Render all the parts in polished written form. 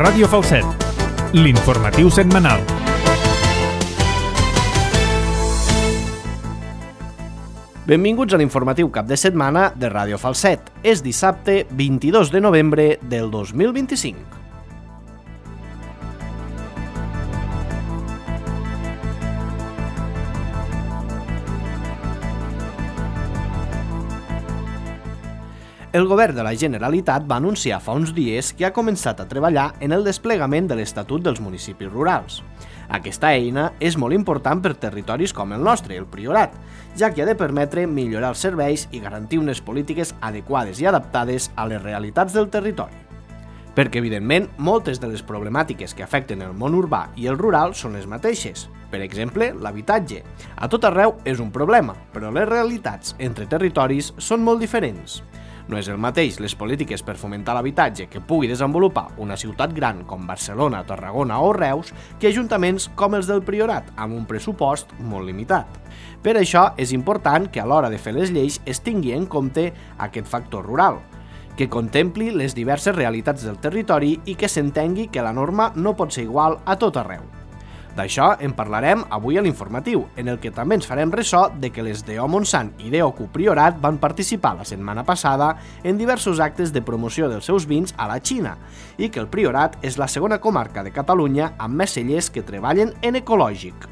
Ràdio Falset, l'informatiu setmanal. Benvinguts a l'informatiu cap de setmana de Ràdio Falset. És dissabte 22 de novembre del 2025. El govern de la Generalitat va anunciar fa uns dies que ha començat a treballar en el desplegament de l'Estatut dels Municipis Rurals. Aquesta eina és molt important per territoris com el nostre, el Priorat, ja que ha de permetre millorar els serveis i garantir unes polítiques adequades i adaptades a les realitats del territori. Perquè, evidentment, moltes de les problemàtiques que afecten el món urbà i el rural són les mateixes. Per exemple, l'habitatge. A tot arreu és un problema, però les realitats entre territoris són molt diferents. No és el mateix les polítiques per fomentar l'habitatge que pugui desenvolupar una ciutat gran com Barcelona, Tarragona o Reus que ajuntaments com els del Priorat, amb un pressupost molt limitat. Per això és important que a l'hora de fer les lleis es tingui en compte aquest factor rural, que contempli les diverses realitats del territori i que s'entengui que la norma no pot ser igual a tot arreu. D'això en parlarem avui a l'informatiu, en el que també ens farem ressò de que les DO Montsant i DOQ Priorat van participar la setmana passada en diversos actes de promoció dels seus vins a la Xina i que el Priorat és la segona comarca de Catalunya amb més cellers que treballen en ecològic.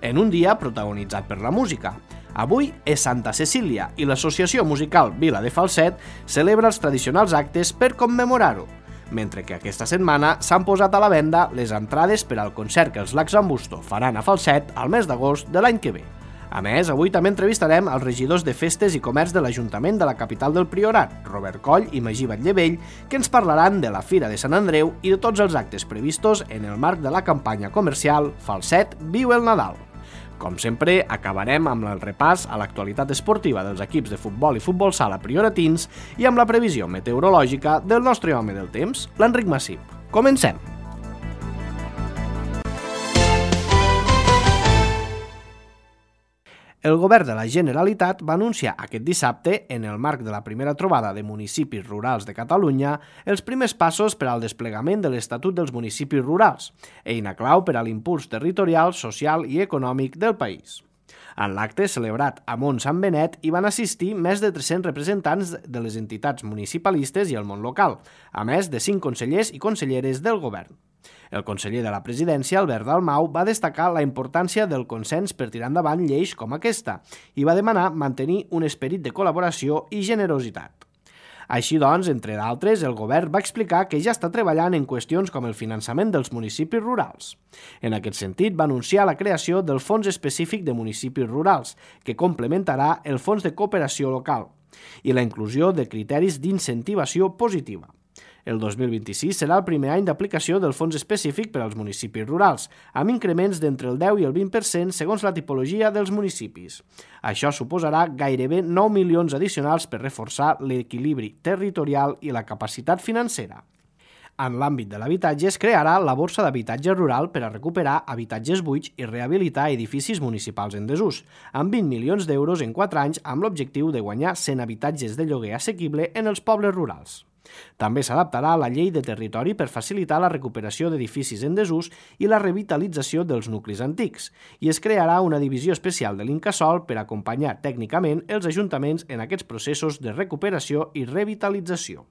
En un dia protagonitzat per la música. Avui és Santa Cecília i l'Associació Musical Vila de Falset celebra els tradicionals actes per commemorar-ho, mentre que aquesta setmana s'han posat a la venda les entrades per al concert que els Lacs Ambusto faran a Falset al mes d'agost de l'any que ve. A més, avui també entrevistarem els regidors de Festes i Comerç de l'Ajuntament de la capital del Priorat, Robert Coll i Magí Batllevell, que ens parlaran de la Fira de Sant Andreu i de tots els actes previstos en el marc de la campanya comercial Falset Viu el Nadal. Com sempre, acabarem amb el repàs a l'actualitat esportiva dels equips de futbol i futbol sala prioratins i amb la previsió meteorològica del nostre home del temps, l'Enric Massip. Comencem! El govern de la Generalitat va anunciar aquest dissabte, en el marc de la primera trobada de municipis rurals de Catalunya, els primers passos per al desplegament de l'Estatut dels Municipis Rurals, eina clau per a l'impuls territorial, social i econòmic del país. En l'acte celebrat a Mont-Sant Benet hi van assistir més de 300 representants de les entitats municipalistes i el món local, a més de 5 consellers i conselleres del govern. El conseller de la Presidència, Albert Dalmau, va destacar la importància del consens per tirar endavant lleis com aquesta i va demanar mantenir un esperit de col·laboració i generositat. Així doncs, entre d'altres, el govern va explicar que ja està treballant en qüestions com el finançament dels municipis rurals. En aquest sentit, va anunciar la creació del Fons Específic de Municipis Rurals, que complementarà el Fons de Cooperació Local, i la inclusió de criteris d'incentivació positiva. El 2026 serà el primer any d'aplicació del fons específic per als municipis rurals, amb increments d'entre el 10 i el 20% segons la tipologia dels municipis. Això suposarà gairebé 9 milions addicionals per reforçar l'equilibri territorial i la capacitat financera. En l'àmbit de l'habitatge es crearà la Borsa d'Habitatge Rural per a recuperar habitatges buits i rehabilitar edificis municipals en desús, amb 20 milions d'euros en 4 anys amb l'objectiu de guanyar 100 habitatges de lloguer assequible en els pobles rurals. També s'adaptarà a la llei de territori per facilitar la recuperació d'edificis en desús i la revitalització dels nuclis antics, i es crearà una divisió especial de l'Incasòl per acompanyar tècnicament els ajuntaments en aquests processos de recuperació i revitalització.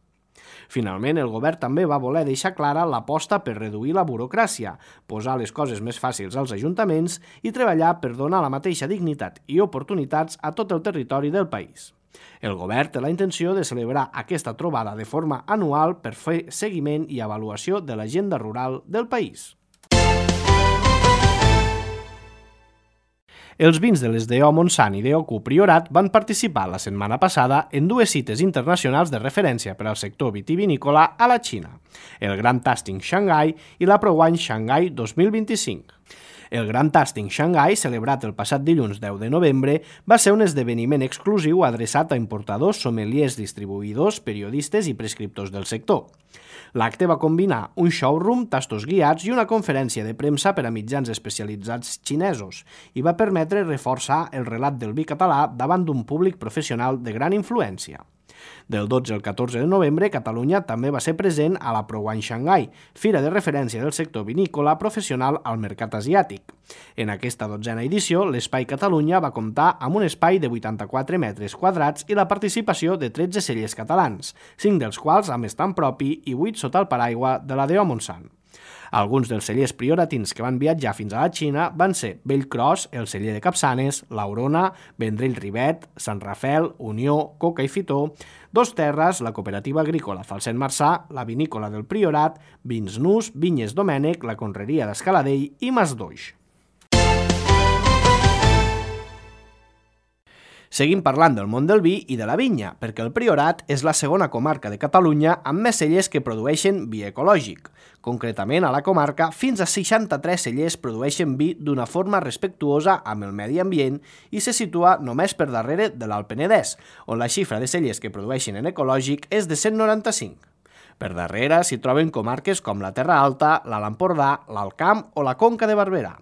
Finalment, el govern també va voler deixar clara l'aposta per reduir la burocràcia, posar les coses més fàcils als ajuntaments i treballar per donar la mateixa dignitat i oportunitats a tot el territori del país. El govern té la intenció de celebrar aquesta trobada de forma anual per fer seguiment i avaluació de l'agenda rural del país. Els vins de les DO Montsant i DOQ Priorat van participar la setmana passada en 2 cites internacionals de referència per al sector vitivinícola a la Xina, el Grand Tasting Shanghai i la ProWine Shanghai 2025. El Grand Tasting Shanghai, celebrat el passat dilluns 10 de novembre, va ser un esdeveniment exclusiu adreçat a importadors, sommeliers, distribuïdors, periodistes i prescriptors del sector. L'acte va combinar un showroom, tastos guiats i una conferència de premsa per a mitjans especialitzats xinesos i va permetre reforçar el relat del vi català davant d'un públic professional de gran influència. Del 12 al 14 de novembre, Catalunya també va ser present a la ProWine Shanghai, fira de referència del sector vinícola professional al mercat asiàtic. En aquesta 12a edició, l'Espai Catalunya va comptar amb un espai de 84 metres quadrats i la participació de 13 cellers catalans, 5 dels quals amb estant propi i 8 sota el paraigua de la DO Montsant. Alguns dels cellers prioratins que van viatjar fins a la Xina van ser Bellcros, el celler de Capçanes, l'Aurona, Vendrell Rivet, Sant Rafel, Unió, Coca i Fitó, Dos Terres, la cooperativa agrícola Falset Marçà, la vinícola del Priorat, Vins Nus, Vinyes Domènec, la conreria d'Escaladell i Masdoix. Seguim parlant del món del vi i de la vinya, perquè el Priorat és la segona comarca de Catalunya amb més cellers que produeixen vi ecològic. Concretament, a la comarca, fins a 63 cellers produeixen vi d'una forma respectuosa amb el medi ambient i se situa només per darrere de l'Alt Penedès, on la xifra de cellers que produeixen en ecològic és de 195. Per darrere s'hi troben comarques com la Terra Alta, l'Alt Empordà, l'Alt Camp o la Conca de Barberà.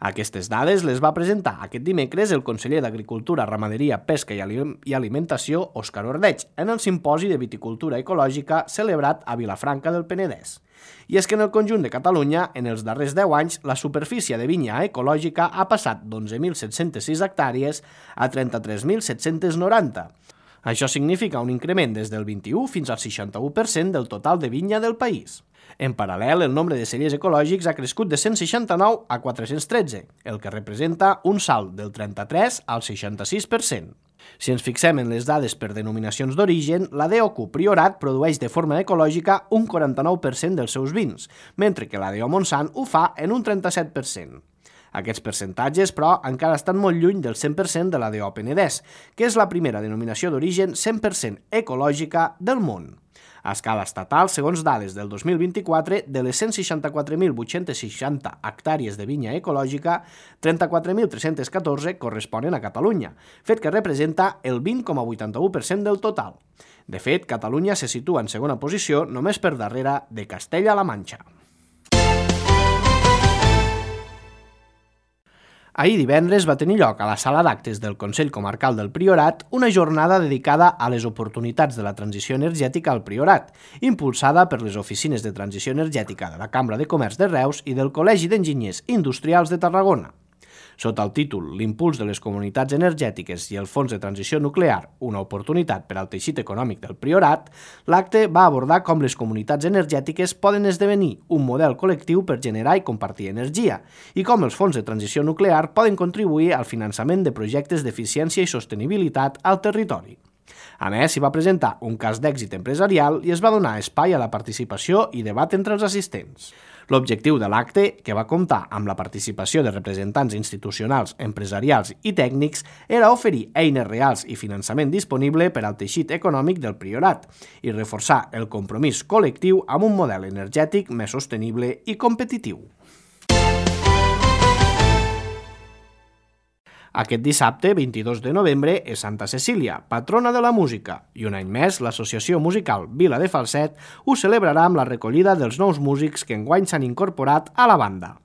Aquestes dades les va presentar aquest dimecres el conseller d'Agricultura, Ramaderia, Pesca i Alimentació, Òscar Ordeig, en el simposi de viticultura ecològica celebrat a Vilafranca del Penedès. I és que en el conjunt de Catalunya, en els darrers 10 anys, la superfície de vinya ecològica ha passat d'11.706 hectàrees a 33.790. Això significa un increment des del 21 fins al 61% del total de vinya del país. En paral·lel, el nombre de cellers ecològics ha crescut de 169 a 413, el que representa un salt del 33 al 66%. Si ens fixem en les dades per denominacions d'origen, la DOQ Priorat produeix de forma ecològica un 49% dels seus vins, mentre que la DO Montsant ho fa en un 37%. Aquests percentatges, però, encara estan molt lluny del 100% de la DO Penedès, que és la primera denominació d'origen 100% ecològica del món. A escala estatal, segons dades del 2024, de les 164.860 hectàrees de vinya ecològica, 34.314 corresponen a Catalunya, fet que representa el 20,81% del total. De fet, Catalunya se situa en segona posició només per darrere de Castella-La Manxa. Ahir divendres va tenir lloc a la sala d'actes del Consell Comarcal del Priorat una jornada dedicada a les oportunitats de la transició energètica al Priorat, impulsada per les oficines de transició energètica de la Cambra de Comerç de Reus i del Col·legi d'Enginyers Industrials de Tarragona. Sota el títol L'impuls de les comunitats energètiques i el Fons de Transició Nuclear, una oportunitat per al teixit econòmic del Priorat, l'acte va abordar com les comunitats energètiques poden esdevenir un model col·lectiu per generar i compartir energia i com els fons de transició nuclear poden contribuir al finançament de projectes d'eficiència i sostenibilitat al territori. A més, s'hi va presentar un cas d'èxit empresarial i es va donar espai a la participació i debat entre els assistents. L'objectiu de l'acte, que va comptar amb la participació de representants institucionals, empresarials i tècnics, era oferir eines reals i finançament disponible per al teixit econòmic del Priorat i reforçar el compromís col·lectiu amb un model energètic més sostenible i competitiu. Aquest dissabte, 22 de novembre, és Santa Cecília, patrona de la música, i un any més l'Associació Musical Vila de Falset ho celebrarà amb la recollida dels nous músics que enguany s'han incorporat a la banda.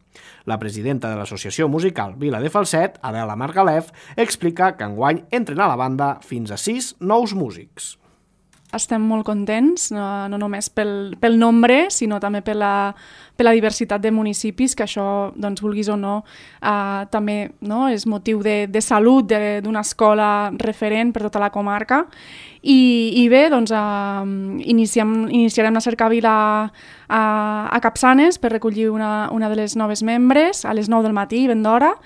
La presidenta de l'Associació Musical Vila de Falset, Adela Margalef, explica que enguany entren a la banda fins a 6 nous músics. Estem molt contents, no només pel nombre, sinó també per la diversitat de municipis, que això, doncs, vulguis o no, també és motiu de salut d'una escola referent per tota la comarca. I bé, doncs, iniciarem la cercavila a Capçanes per recollir una de les noves membres a les 9 del matí, ben d'hora,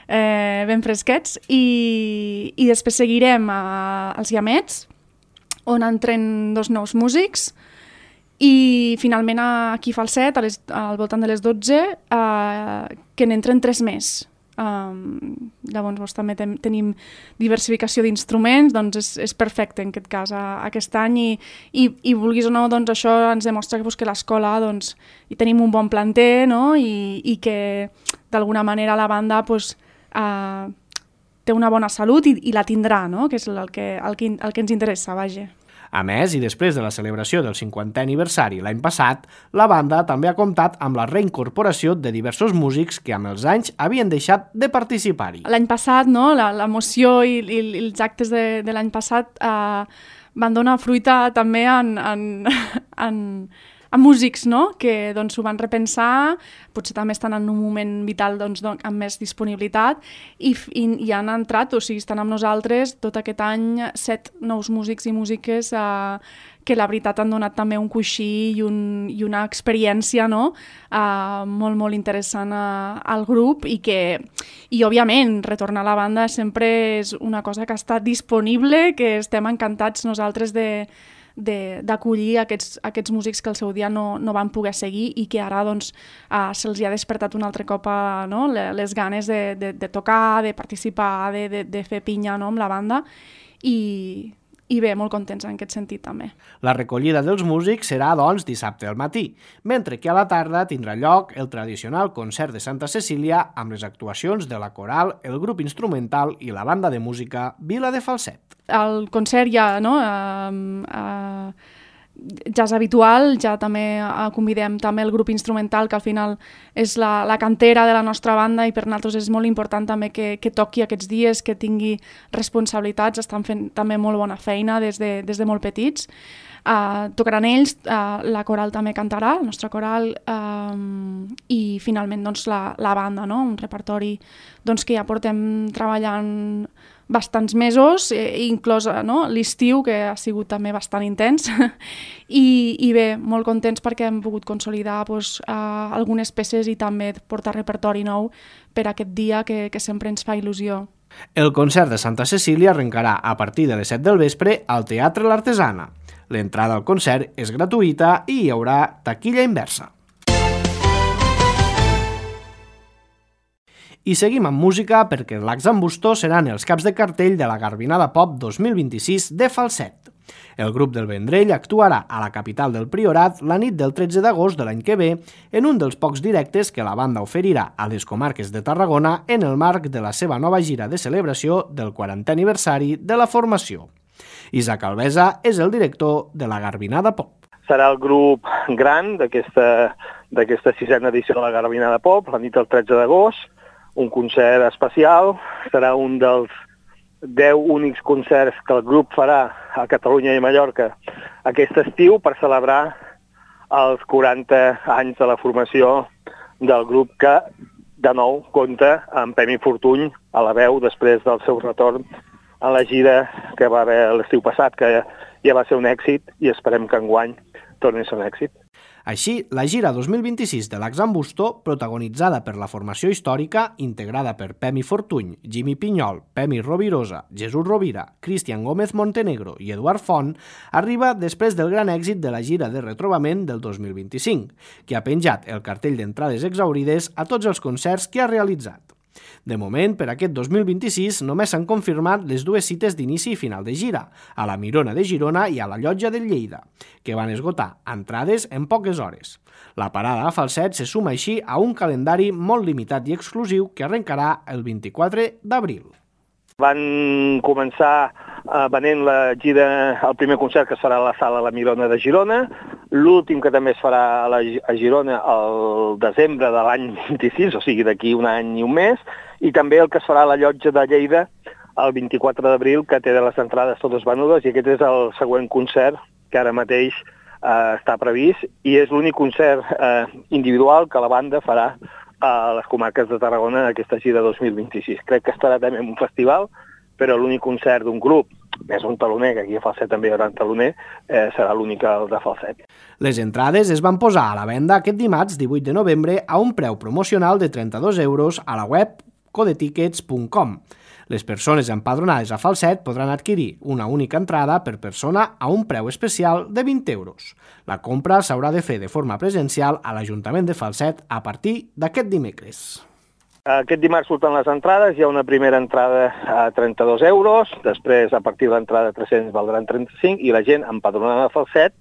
ben fresquets, i després seguirem als Guiamets, on entren 2 nous músics, i finalment aquí a Falset, al voltant de les 12, que n'entren 3 més. Llavors també tenim diversificació d'instruments, doncs és perfecte en aquest cas aquest any, i vulguis o no, doncs això ens demostra que l'escola hi tenim un bon planter, no? I que d'alguna manera la banda té una bona salut i la tindrà, no? Que és el que ens interessa, vaja. A més, i després de la celebració del 50è aniversari l'any passat, la banda també ha comptat amb la reincorporació de diversos músics que amb els anys havien deixat de participar-hi. L'any passat, no, l'emoció i els actes de l'any passat van donar fruita també a músics, no? Que doncs, ho van repensar, potser també estan en un moment vital doncs, amb més disponibilitat i han entrat, o sigui, estan amb nosaltres tot aquest any 7 nous músics i músiques que la veritat han donat també un coixí i una experiència, no? Molt, molt interessant al grup i òbviament, retornar a la banda sempre és una cosa que està disponible, que estem encantats nosaltres d'acollir aquests músics que al seu dia no van poder seguir i que ara doncs, se'ls ha despertat un altre cop no? les ganes de tocar, de participar, de fer pinya, no? Amb la banda i bé, molt contents en aquest sentit també. La recollida dels músics serà, doncs, dissabte al matí, mentre que a la tarda tindrà lloc el tradicional concert de Santa Cecília amb les actuacions de la coral, el grup instrumental i la banda de música Vila de Falset. El concert ja, no? Ja és habitual, ja també convidem també el grup instrumental, que al final és la cantera de la nostra banda i per nosaltres és molt important també que toqui aquests dies, que tingui responsabilitats, estan fent també molt bona feina des de molt petits. Tocaran ells, la coral també cantarà, la nostra coral, i finalment doncs, la banda, no? Un repertori doncs, que ja portem treballant bastants mesos, inclòs no? L'estiu, que ha sigut també bastant intens, i bé, molt contents perquè hem pogut consolidar algunes peces i també portar repertori nou per aquest dia que sempre ens fa il·lusió. El concert de Santa Cecília arrencarà a partir de les 7 del vespre al Teatre l'Artesana. L'entrada al concert és gratuïta i hi haurà taquilla inversa. I seguim amb música perquè l'Ax amb Bustó seran els caps de cartell de la Garbinada Pop 2026 de Falset. El grup del Vendrell actuarà a la capital del Priorat la nit del 13 d'agost de l'any que ve en un dels pocs directes que la banda oferirà a les comarques de Tarragona en el marc de la seva nova gira de celebració del 40è aniversari de la formació. Isaac Alvesa és el director de la Garbinada Pop. Serà el grup gran d'aquesta 6a edició de la Garbinada Pop, la nit del 13 d'agost, un concert especial, serà un dels 10 únics concerts que el grup farà a Catalunya i Mallorca aquest estiu per celebrar els 40 anys de la formació del grup que, de nou, compta amb Pemi Fortuny a la veu després del seu retorn a la gira que va haver l'estiu passat, que ja va ser un èxit i esperem que enguany torni a ser un èxit. Així, la gira 2026 de l'Ax amb Bustó, protagonitzada per la formació històrica, integrada per Pemi Fortuny, Jimmy Pinyol, Pemi Rovirosa, Jesús Rovira, Cristian Gómez Montenegro i Eduard Font, arriba després del gran èxit de la gira de retrobament del 2025, que ha penjat el cartell d'entrades exaurides a tots els concerts que ha realitzat. De moment, per aquest 2026 només s'han confirmat les dues cites d'inici i final de gira, a la Mirona de Girona i a la Llotja de Lleida, que van esgotar entrades en poques hores. La parada a Falset se suma així a un calendari molt limitat i exclusiu que arrencarà el 24 d'abril. Van començar venent la gira, el primer concert que es farà a la sala La Mirona de Girona, l'últim que també es farà a Girona el desembre de l'any 26, o sigui d'aquí un any i un mes, i també el que es farà a la Llotja de Lleida el 24 d'abril, que té les entrades totes venudes, i aquest és el següent concert que ara mateix està previst, i és l'únic concert individual que la banda farà a les comarques de Tarragona aquesta gira 2026. Crec que estarà també en un festival, però l'únic concert d'un grup, més un taloner, que aquí a Falset també hi haurà un taloner, serà l'únic de Falset. Les entrades es van posar a la venda aquest dimarts 18 de novembre a un preu promocional de 32 euros a la web codetickets.com. Les persones empadronades a Falset podran adquirir una única entrada per persona a un preu especial de 20 euros. La compra s'haurà de fer de forma presencial a l'Ajuntament de Falset a partir d'aquest dimecres. Aquest dimarts surten les entrades, hi ha una primera entrada a 32 euros, després a partir de l'entrada 300 valdran 35, i la gent empadronada a Falset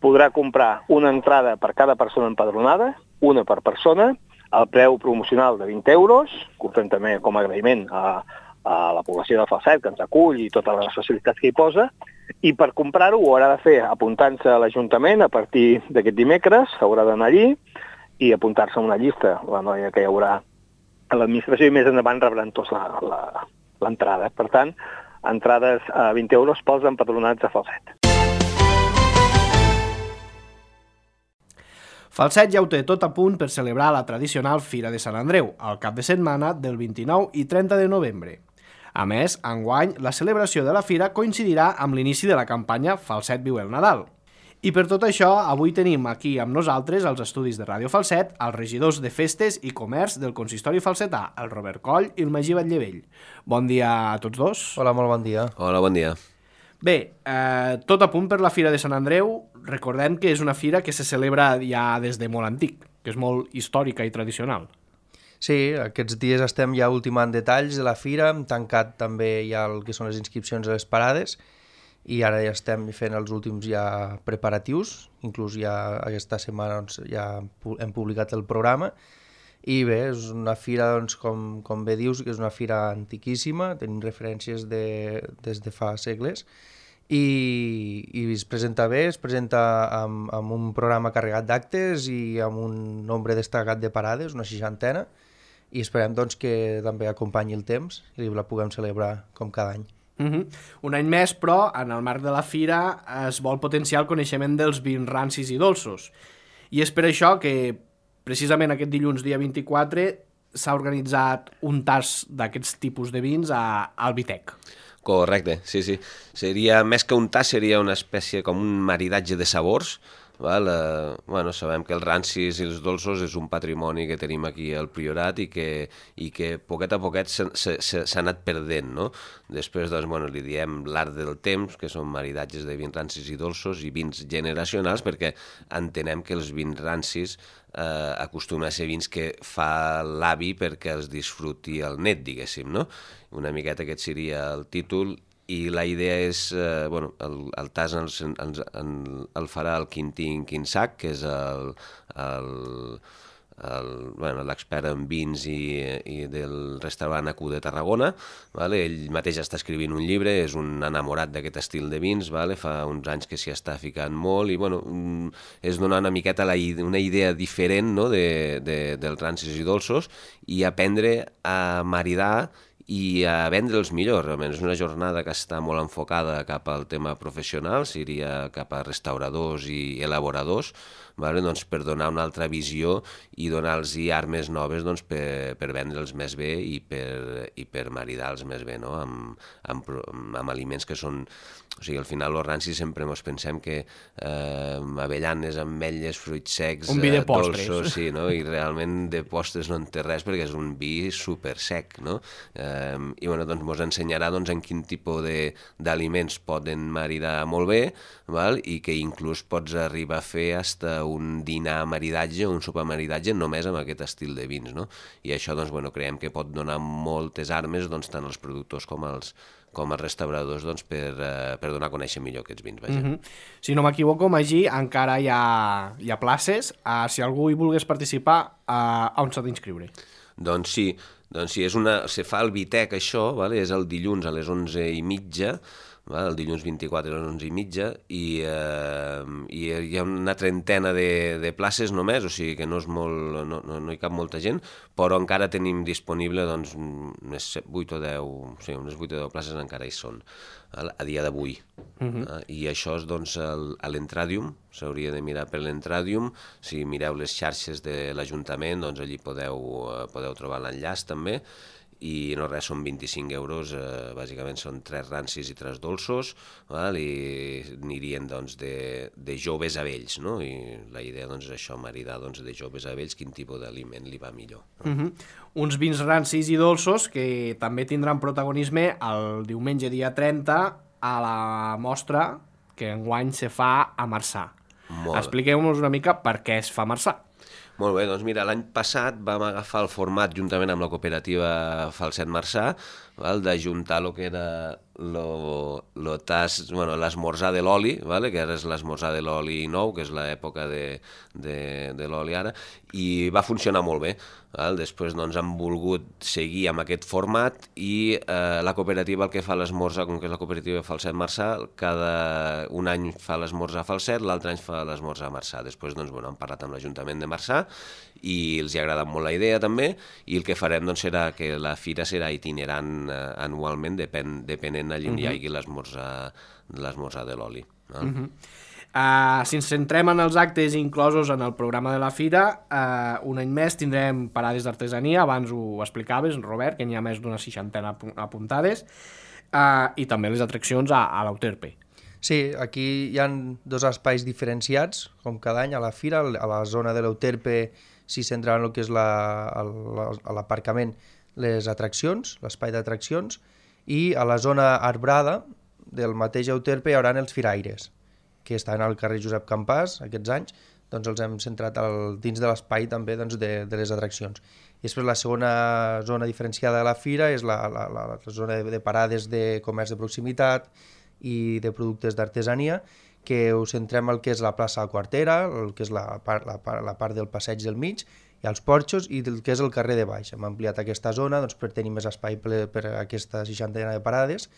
podrà comprar una entrada per cada persona empadronada, una per persona, al preu promocional de 20 euros, que ho fem també com a agraïment a la població de Falset, que ens acull i totes les facilitats que hi posa, I per comprar-ho ho haurà de fer apuntant-se a l'Ajuntament a partir d'aquest dimecres, haurà d'anar allí i apuntar-se a una llista, la noia que hi haurà a l'administració, i més endavant rebran tots l'entrada. Per tant, entrades a 20 euros pels empadronats a Falset. Falset ja ho té tot a punt per celebrar la tradicional Fira de Sant Andreu, al cap de setmana del 29 i 30 de novembre. A més, enguany, la celebració de la Fira coincidirà amb l'inici de la campanya Falset viu el Nadal. I per tot això, avui tenim aquí amb nosaltres, als estudis de Ràdio Falset, els regidors de Festes i Comerç del Consistori Falsetà, el Robert Coll i el Magí Batllevell. Bon dia a tots dos. Hola, molt bon dia. Hola, bon dia. Bé, tot a punt per la Fira de Sant Andreu. Recordem que és una fira que se celebra ja des de molt antic, que és molt històrica i tradicional. Sí, aquests dies estem ja ultimant detalls de la fira, hem tancat també ja el que són les inscripcions a les parades i ara ja estem fent els últims ja preparatius, inclús ja aquesta setmana doncs, ja hem publicat el programa. I bé, és una fira, doncs, com bé dius, que és una fira antiquíssima, tenim referències des de fa segles, i es presenta bé, es presenta amb un programa carregat d'actes i amb un nombre destacat de parades, una 60, i esperem doncs, que també acompanyi el temps i la puguem celebrar com cada any. Un any més, però, en el marc de la fira es vol potenciar el coneixement dels vins rancis i dolços. I és per això que precisament aquest dilluns, dia 24, s'ha organitzat un tast d'aquests tipus de vins al Vitec. Correcte, sí. Seria, més que un tast, seria una espècie com un maridatge de sabors. Val? Sabem que els rancis i els dolços és un patrimoni que tenim aquí al Priorat i que poquet a poquet s'ha anat perdent, no? Després, doncs, li diem l'art del temps, que són maridatges de vins rancis i dolços i vins generacionals, perquè entenem que els vins rancis acostumen a ser vins que fa l'avi perquè els disfruti el net, diguéssim, no? Una miqueta aquest seria el títol. I la idea és, el tast el farà el Quintín Quinsac, que és l'expert en vins i del restaurant AQ de Tarragona. Vale? Ell mateix està escrivint un llibre, és un enamorat d'aquest estil de vins, vale? Fa uns anys que s'hi està ficant molt i és donar una miqueta una idea diferent, no? dels rancis i dolços i aprendre a maridar i a vendre'ls millor. Realment és una jornada que està molt enfocada cap al tema professional, seria cap a restauradors i elaboradors, vale? Doncs per donar una altra visió i donar-los armes noves doncs, per vendre'ls més bé i per maridar-los més bé, no? amb aliments que són... O sigui, al final els rancis sempre ens pensem que avellanes, ametlles, fruits secs, un vi de postres. Dolços, sí, no? I realment de postres no en té res perquè és un vi super sec, no? I doncs ens ensenyarà en quin tipus d'aliments poden maridar molt bé, val? I que inclús pots arribar a fer hasta un dinar maridatge, un sopar maridatge només amb aquest estil de vins, no? I això creiem que pot donar moltes armes tant als productors com als restauradors per donar a conèixer millor aquests vins. Si no m'equivoco, Magí, encara hi ha places. Si algú hi volgués participar, on s'ha d'inscriure? Doncs sí, se fa el Vitec això, vale? És el dilluns a les 11:30, vale? El dilluns 24 a les 11:30 i hi ha una trentena de places només, o sigui que no hi cap molta gent, però encara tenim disponible unes 8 o 10 places encara hi són a dia d'avui. I això és a l'Entradium, s'hauria de mirar per l'Entradium. Si mireu les xarxes de l'Ajuntament, allí podeu trobar l'enllaç també. I no res, són 25 euros, bàsicament són 3 rancis i 3 dolços, val? I anirien de joves a vells, no? I la idea és això, maridar de joves a vells, quin tipus d'aliment li va millor. Uns vins rancis i dolços que també tindran protagonisme el diumenge dia 30 a la mostra que enguany se fa a Marçà. Expliqueu-nos una mica per què es fa a Marçà. Molt bé, doncs mira, l'any passat vam agafar el format juntament amb la cooperativa Falset Marçà, d'ajuntar el que era l'esmorzar de l'oli, vale? Que ara és l'esmorzar de l'oli nou, que és l'època de l'oli ara, i va funcionar molt bé. Val? Després doncs, han volgut seguir amb aquest format i la cooperativa el que fa l'esmorzar, com que és la cooperativa Falset Marçà, cada un any fa l'esmorzar a Falset, l'altre any fa l'esmorzar a Marçà. Després doncs, han parlat amb l'Ajuntament de Marçà i els ha agradat molt la idea també, i el que farem doncs, serà que la fira serà itinerant anualment, depenent allà on hi hagi l'esmorzar de l'oli. Si ens centrem en els actes inclosos en el programa de la fira, un any més tindrem parades d'artesania, abans ho explicaves, Robert, que n'hi ha més d'una 60 apuntades, i també les atraccions a l'Euterpe. Sí, aquí hi ha dos espais diferenciats, com cada any a la fira. A la zona de l'Euterpe s'hi centra en el que és a l'aparcament les atraccions, l'espai d'atraccions, i a la zona arbrada del mateix Euterpe hi haurà els firaires, que estan al carrer Josep Campàs aquests anys, doncs els hem centrat dins de l'espai també doncs, de les atraccions. I després la segona zona diferenciada de la fira és la zona de parades de comerç de proximitat i de productes d'artesania, que ho centrem al que és la plaça Quartera, el que és la part del passeig del mig, i els porxos, i el que és el carrer de baix. Hem ampliat aquesta zona doncs, per tenir més espai per a aquesta 60 de parades,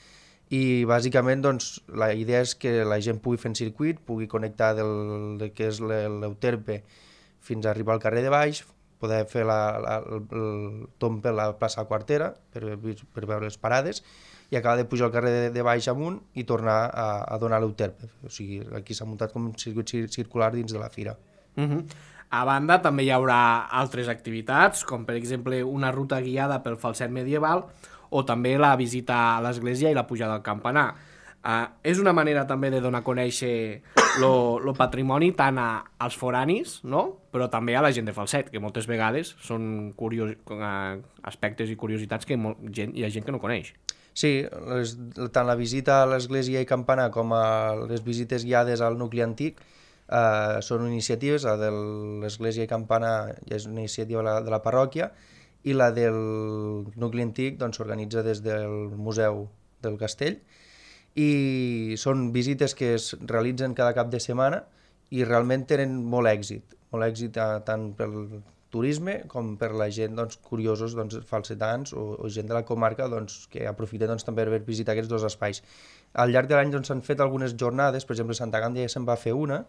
i bàsicament doncs, la idea és que la gent pugui fer un circuit, pugui connectar del que és l'Euterpe fins a arribar al carrer de baix, poder fer el tomb per la plaça Quartera per veure les parades, i acabar de pujar al carrer de baix amunt i tornar a donar l'Euterpe. O sigui, aquí s'ha muntat com un circuit circular dins de la fira. A banda, també hi haurà altres activitats, com per exemple una ruta guiada pel falset medieval, o també la visita a l'església i la pujada al campanar. És una manera també de donar a conèixer el patrimoni tant als foranis, no? Però també a la gent de Falset, que moltes vegades són aspectes i curiositats que hi ha gent que no coneix. Sí, tant la visita a l'església i campanar com a les visites guiades al nucli antic són iniciatives. La de l'església i campanar és una iniciativa de la parròquia, i la del nucli antic s'organitza des del Museu del Castell, i són visites que es realitzen cada cap de setmana i realment tenen molt èxit tant pel turisme com per la gent curiosos, falsetans o gent de la comarca que aprofiten també per visitar aquests dos espais. Al llarg de l'any s'han fet algunes jornades, per exemple a Santa Gàndia ja se'n va fer una,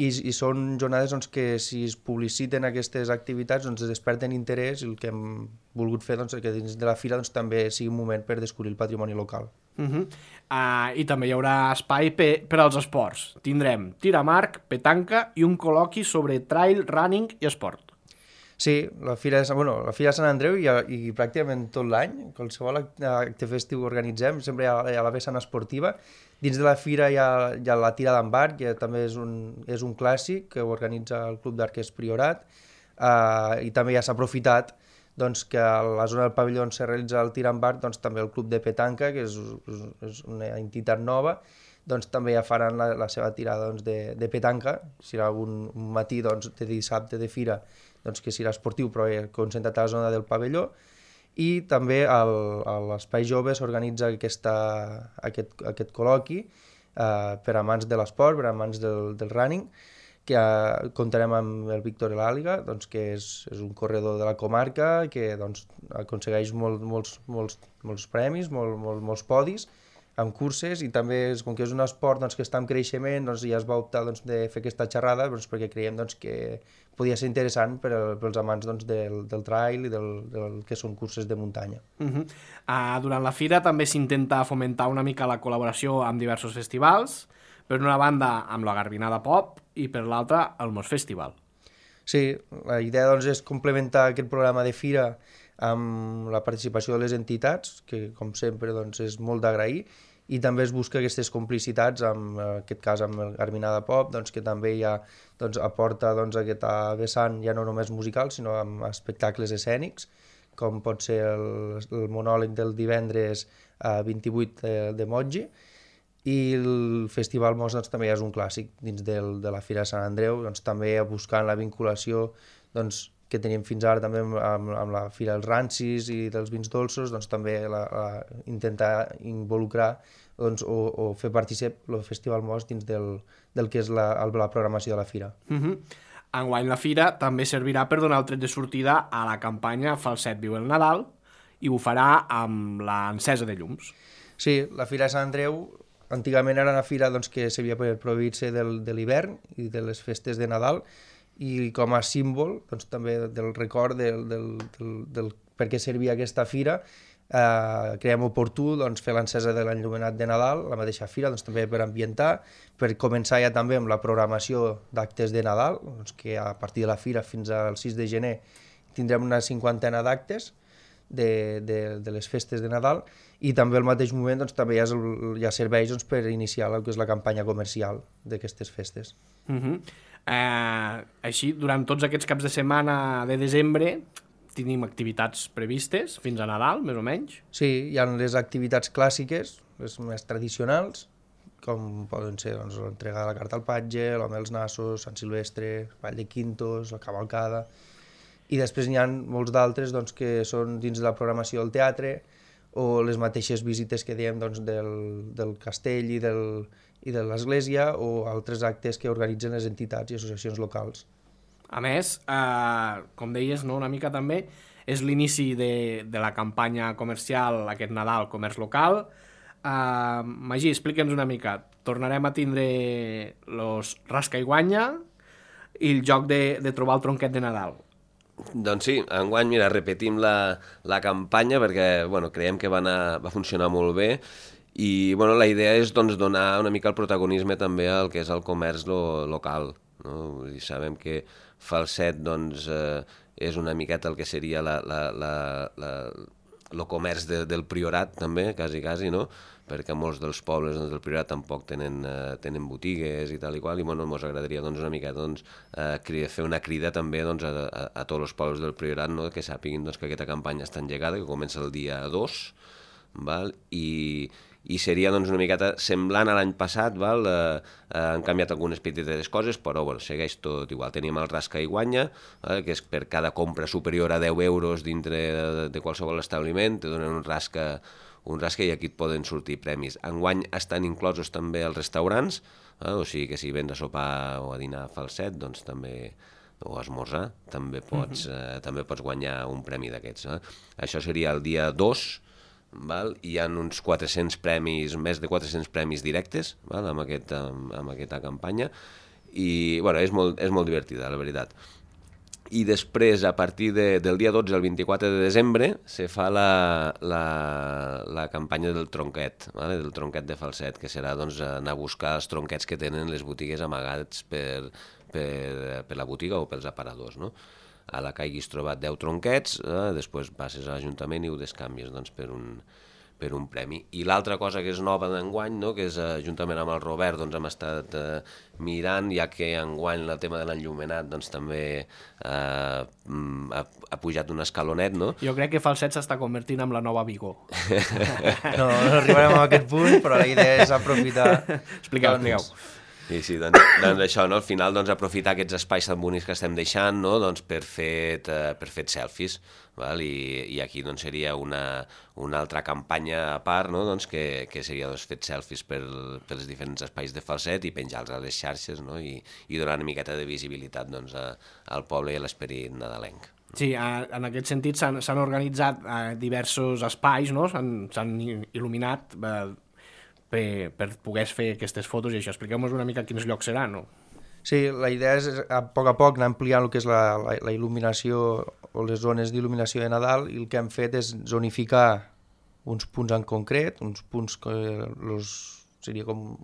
i són jornades que si es publiciten aquestes activitats es desperten interès, i el que hem volgut fer que dins de la fira també sigui un moment per descobrir el patrimoni local. I també hi haurà espai per als esports. Tindrem tir amb arc, petanca i un col·loqui sobre trail, running i esport. Sí, la fira de Sant Andreu i pràcticament tot l'any, qualsevol acte festiu que organitzem, sempre hi ha la vessant esportiva. Dins de la fira hi ha la tirada amb arc, que també és un clàssic que organitza el Club d'Arquers Priorat, i també ja s'ha aprofitat que a la zona del pavelló on se realitza el tir amb arc, també el Club de Petanca, que és una entitat nova, també ja faran la seva tirada de petanca. Serà un matí de dissabte de fira que serà esportiu però concentrat a la zona del pavelló, i també a l'Espai Jove s'organitza aquest col·loqui per amants de l'esport, per amants del running, que comptarem amb el Víctor Elàliga, que és un corredor de la comarca que aconsegueix molts premis, molts podis amb curses, i també com que és un esport que està en creixement, ja es va optar de fer aquesta xerrada perquè creiem que podia ser interessant pels amants del trail i del que són curses de muntanya. Durant la fira també s'intenta fomentar una mica la col·laboració amb diversos festivals, per una banda amb la Garbinada Pop i per l'altra el Mos Festival. Sí, la idea és complementar aquest programa de fira amb la participació de les entitats, que com sempre és molt d'agrair, i també es busca aquestes complicitats, en aquest cas amb el Garbinada Pop, que també ja aporta aquesta vessant ja no només musical, sinó amb espectacles escènics, com pot ser el monòleg del divendres 28 de Mogi, i el Festival Mos també ja és un clàssic dins de la Fira de Sant Andreu, també buscant la vinculació que teníem fins ara també amb la Fira dels Rancis i dels vins dolços, doncs també intentar involucrar doncs, o fer partícip el Festival Most dins del que és la programació de la fira. Enguany la fira també servirà per donar el tret de sortida a la campanya Falset viu el Nadal i ho farà amb l'encesa de llums. Sí, la Fira de Sant Andreu antigament era una fira doncs, que s'havia prohibit-se de l'hivern i de les festes de Nadal, i com a símbol doncs, també del record del per què servia aquesta fira, creiem oportú doncs, fer l'encesa de l'enllumenat de Nadal, la mateixa fira, doncs, també per ambientar, per començar ja també amb la programació d'actes de Nadal, doncs, que a partir de la fira fins al 6 de gener tindrem una 50ena d'actes de les festes de Nadal, i també al mateix moment doncs, també hi ha serveis doncs, per iniciar el que és la campanya comercial d'aquestes festes. Així, durant tots aquests caps de setmana de desembre tenim activitats previstes fins a Nadal, més o menys? Sí, hi ha les activitats clàssiques, les més tradicionals, com poden ser doncs, l'entrega de la carta al patge, l'home dels nassos, Sant Silvestre, Vall de Quintos, la cavalcada, i després n'hi ha molts d'altres doncs, que són dins de la programació del teatre, o les mateixes visites que diem doncs, del castell i de l'església, o altres actes que organitzen les entitats i associacions locals. A més, com deies, no, una mica també, és l'inici de la campanya comercial aquest Nadal, comerç local. Magí, explica'ns una mica. Tornarem a tindre los rasca i guanya i el joc de trobar el tronquet de Nadal. Doncs sí, enguany, mira, repetim la campanya perquè creiem que va funcionar molt bé i la idea és doncs, donar una mica el protagonisme també al que és el comerç local. No? I sabem que Falset doncs, és una miqueta el que seria el comerç del Priorat també, quasi, no? Perquè molts dels pobles del Priorat tampoc tenen botigues i tal i qual, i ens agradaria una miqueta fer una crida també a tots els pobles del Priorat, no? Que sàpiguin que aquesta campanya està engegada, que comença el dia 2, i seria una miqueta semblant a l'any passat, han canviat algunes petites coses, però segueix tot igual. Tenim el rasca i guanya, que és per cada compra superior a 10 euros dintre de qualsevol establiment, te donen un rasca i aquí et poden sortir premis. Enguany estan inclosos també els restaurants, o sigui que si vens a sopar o a dinar a Falset, doncs també, o a esmorzar, també pots guanyar un premi d'aquests. Això seria el dia 2, hi ha uns 400 premis, més de 400 premis directes amb aquesta campanya, i és molt divertida, la veritat. I després, a partir del dia 12 al 24 de desembre, se fa la campanya del tronquet, del tronquet de Falset, que serà anar a buscar els tronquets que tenen les botigues amagats per la botiga o pels aparadors. No? A la que hagis trobat 10 tronquets, després passes a l'Ajuntament i ho descanvies per un premi. I l'altra cosa que és nova d'enguany, no? Que és juntament amb el Robert hem estat mirant, ja que enguany el tema de l'enllumenat també ha pujat un escalonet, no? Jo crec que Falset s'està convertint en la nova Vigo. No arribarem a aquest punt, però la idea és aprofitar... Expliqueu. Sí, doncs això, no? Al final aprofitar aquests espais tan bonics que estem deixant, no? Per fer selfies, i aquí seria una altra campanya a part, no? Que seria fer selfies pels diferents espais de Falset i penjar-los a les xarxes, no? I donar una miqueta de visibilitat al poble i a l'esperit nadalenc. Sí, en aquest sentit s'han organitzat diversos espais, no? S'han il·luminat per poder fer aquestes fotos i això. Expliqueu-nos una mica quins llocs seran, no? Sí, la idea és a poc anar ampliant el que és la il·luminació o les zones d'il·luminació de Nadal, i el que hem fet és zonificar uns punts en concret, uns punts que seria com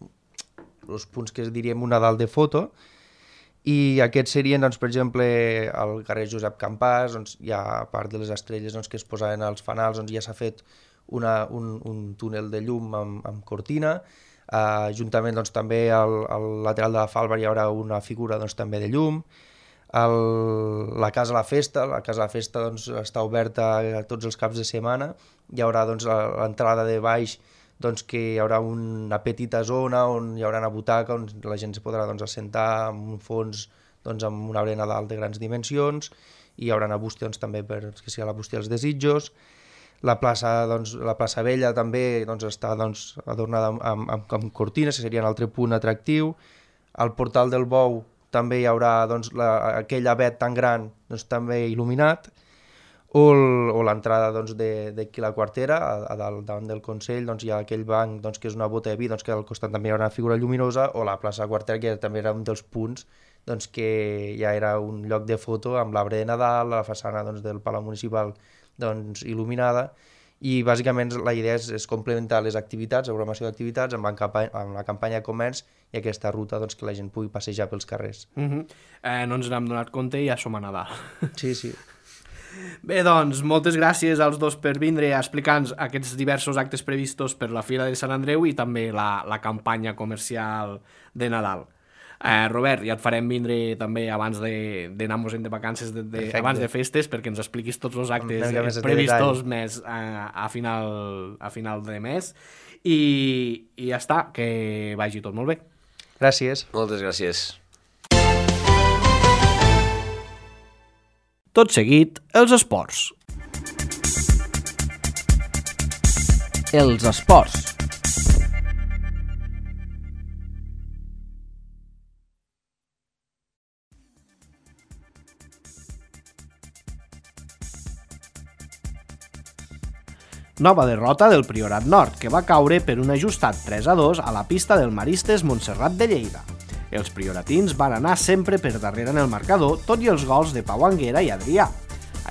els punts que diríem un Nadal de foto, i aquests serien, doncs, per exemple, al carrer Josep Campàs, hi ha a part de les estrelles que es posaven als fanals, ja s'ha fet un túnel de llum amb cortina. Juntament també al lateral de la Falva hi haurà una figura també de llum. La Casa de la Festa està oberta tots els caps de setmana. Hi haurà l'entrada de baix, que hi haurà una petita zona on hi haurà una butaca on la gent es podrà assentar amb un fons amb un arbre de Nadal de grans dimensions, i hi haurà una bústia doncs, també perquè sigui la bústia dels desitjos. La plaça Vella també està adornada amb cortines, que seria un altre punt atractiu. Al portal del Bou també hi haurà aquell avet tan gran també il·luminat, o l'entrada d'aquí la Quartera, davant del Consell, hi ha aquell banc que és una bota de vi, que al costat també hi haurà una figura lluminosa, o la plaça Quartera, que també era un dels punts que ja era un lloc de foto amb l'arbre de Nadal, la façana del Palau Municipal il·luminada, i bàsicament la idea és complementar les activitats, la programació d'activitats amb la campanya de comerç i aquesta ruta que la gent pugui passejar pels carrers. No ens n'hem donat compte i ja som a Nadal. Sí. Bé, doncs, moltes gràcies als dos per vindre a explicar-nos aquests diversos actes previstos per la Fira de Sant Andreu i també la campanya comercial de Nadal. Robert, ja et farem vindre també abans d'anar-nos-en de vacances abans de festes perquè ens expliquis tots els actes previstos més a final de mes i ja està, que vagi tot molt bé. Gràcies. Moltes gràcies. Tot seguit, els esports. Els esports. Nova derrota del Priorat Nord, que va caure per un ajustat 3-2 a la pista del Maristes Montserrat de Lleida. Els prioratins van anar sempre per darrere en el marcador, tot i els gols de Pau Anguera i Adrià.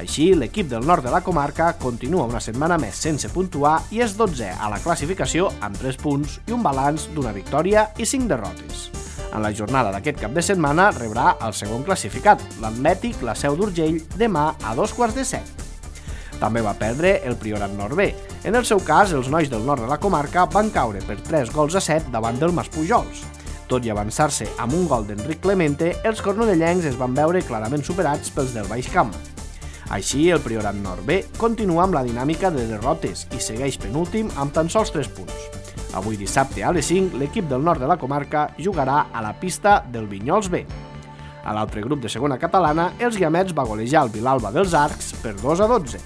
Així, l'equip del nord de la comarca continua una setmana més sense puntuar i és 12è a la classificació amb 3 punts i un balanç d'una victòria i 5 derrotes. En la jornada d'aquest cap de setmana rebrà el segon classificat, l'Atlètic La Seu d'Urgell, demà a 7:15. També va perdre el Priorat Nord B. En el seu cas, els nois del nord de la comarca van caure per 3-7 davant del Maspujols. Tot i avançar-se amb un gol d'Enric Clemente, els cornudellencs es van veure clarament superats pels del Baix Camp. Així, el Priorat Nord B continua amb la dinàmica de derrotes i segueix penúltim amb tan sols 3 punts. Avui dissabte a les 5, l'equip del nord de la comarca jugarà a la pista del Vinyols B. A l'altre grup de segona catalana, els Guiamets va golejar el Vilalba dels Arcs per 2-12.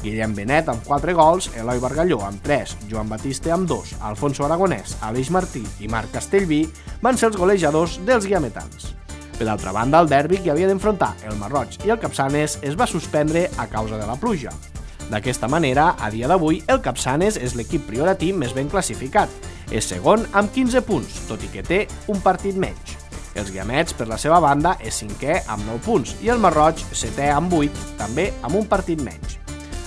Guillem Benet amb 4 gols, Eloi Bargalló amb 3, Joan Batiste amb 2, Alfonso Aragonès, Aleix Martí i Marc Castellví van ser els golejadors dels guiametans. Per altra banda, el derbi que havia d'enfrontar el Marroig i el Capçanes es va suspendre a causa de la pluja. D'aquesta manera, a dia d'avui, el Capçanes és l'equip prioratí més ben classificat. És segon amb 15 punts, tot i que té un partit menys. Els Guiamets, per la seva banda, és 5è amb 9 punts i el Marroig 7è amb 8, també amb un partit menys.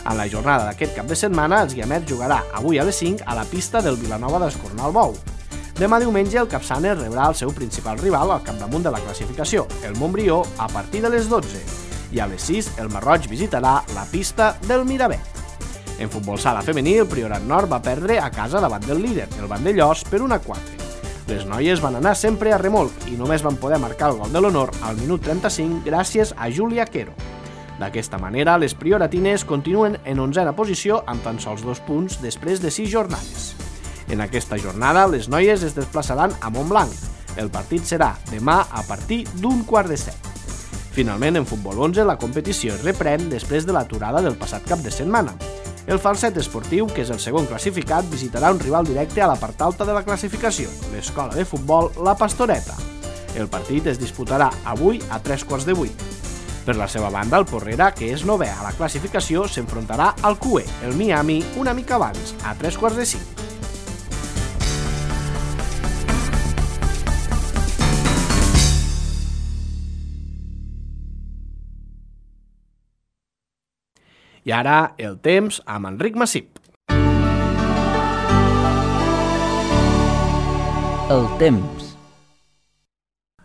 En la jornada d'aquest cap de setmana, els Guiamets jugarà avui a les 5 a la pista del Vilanova d'Escornalbou. Demà diumenge, el Capçanes rebrà el seu principal rival al capdamunt de la classificació, el Montbrió, a partir de les 12. I a les 6, el Marroig visitarà la pista del Miravet. En futbol sala femení, el Priorat Nord va perdre a casa davant del líder, el Vandellós, per 1-4. Les noies van anar sempre a remolc i només van poder marcar el gol de l'honor al minut 35 gràcies a Júlia Quero. D'aquesta manera, les prioratines continuen en 11a posició amb tan sols 2 punts després de 6 jornades. En aquesta jornada, les noies es desplaçaran a Montblanc. El partit serà demà a partir d'7:15. Finalment, en futbol 11, la competició es reprèn després de l'aturada del passat cap de setmana. El Falset Esportiu, que és el segon classificat, visitarà un rival directe a la part alta de la classificació, l'escola de futbol La Pastoreta. El partit es disputarà avui a 7:45. Per la seva banda, el Porrera, que és 9è a la classificació, s'enfrontarà al QE, el Miami, una mica abans, a 3:45. I ara, el temps amb Enric Massip. El temps.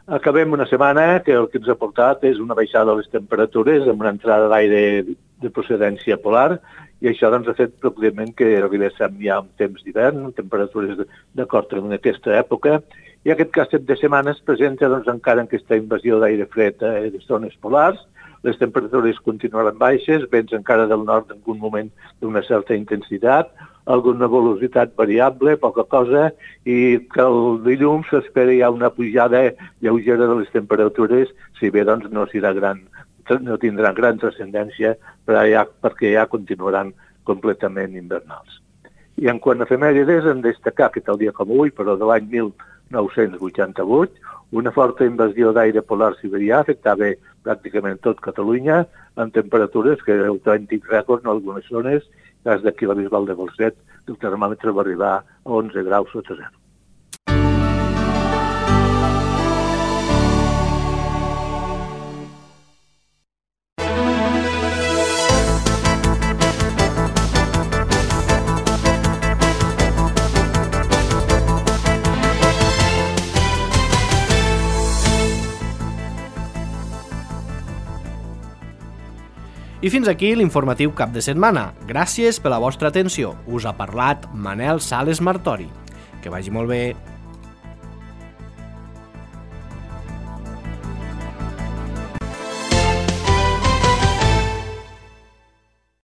Acabem una setmana que el que ens ha portat és una baixada de les temperatures amb una entrada d'aire de procedència polar i això doncs, ha fet pròpiament que arribéssim ja un temps d'hivern, amb temperatures d'acord amb aquesta època, i aquest cap de setmana es presenta doncs, encara aquesta invasió d'aire fred de zones polars. Les temperatures continuaran baixes, vents encara del nord en algun moment d'una certa intensitat, alguna velocitat variable, poca cosa, i que el dilluns s'espera ja una pujada lleugera de les temperatures, si bé doncs, no serà gran no tindran gran transcendència perquè ja continuaran completament invernals. I en quant a efemèrides, hem de destacar que tal dia com avui, però de l'any 1988, una forta invasió d'aire polar siberià afectava pràcticament tot Catalunya, amb temperatures que autèntics rècords en algunes zones, cas d'aquí la Bisbal de Falset, el termòmetre va arribar a 11 graus sota zero. I fins aquí l'informatiu cap de setmana. Gràcies per la vostra atenció. Us ha parlat Manel Sales Martori. Que vagi molt bé.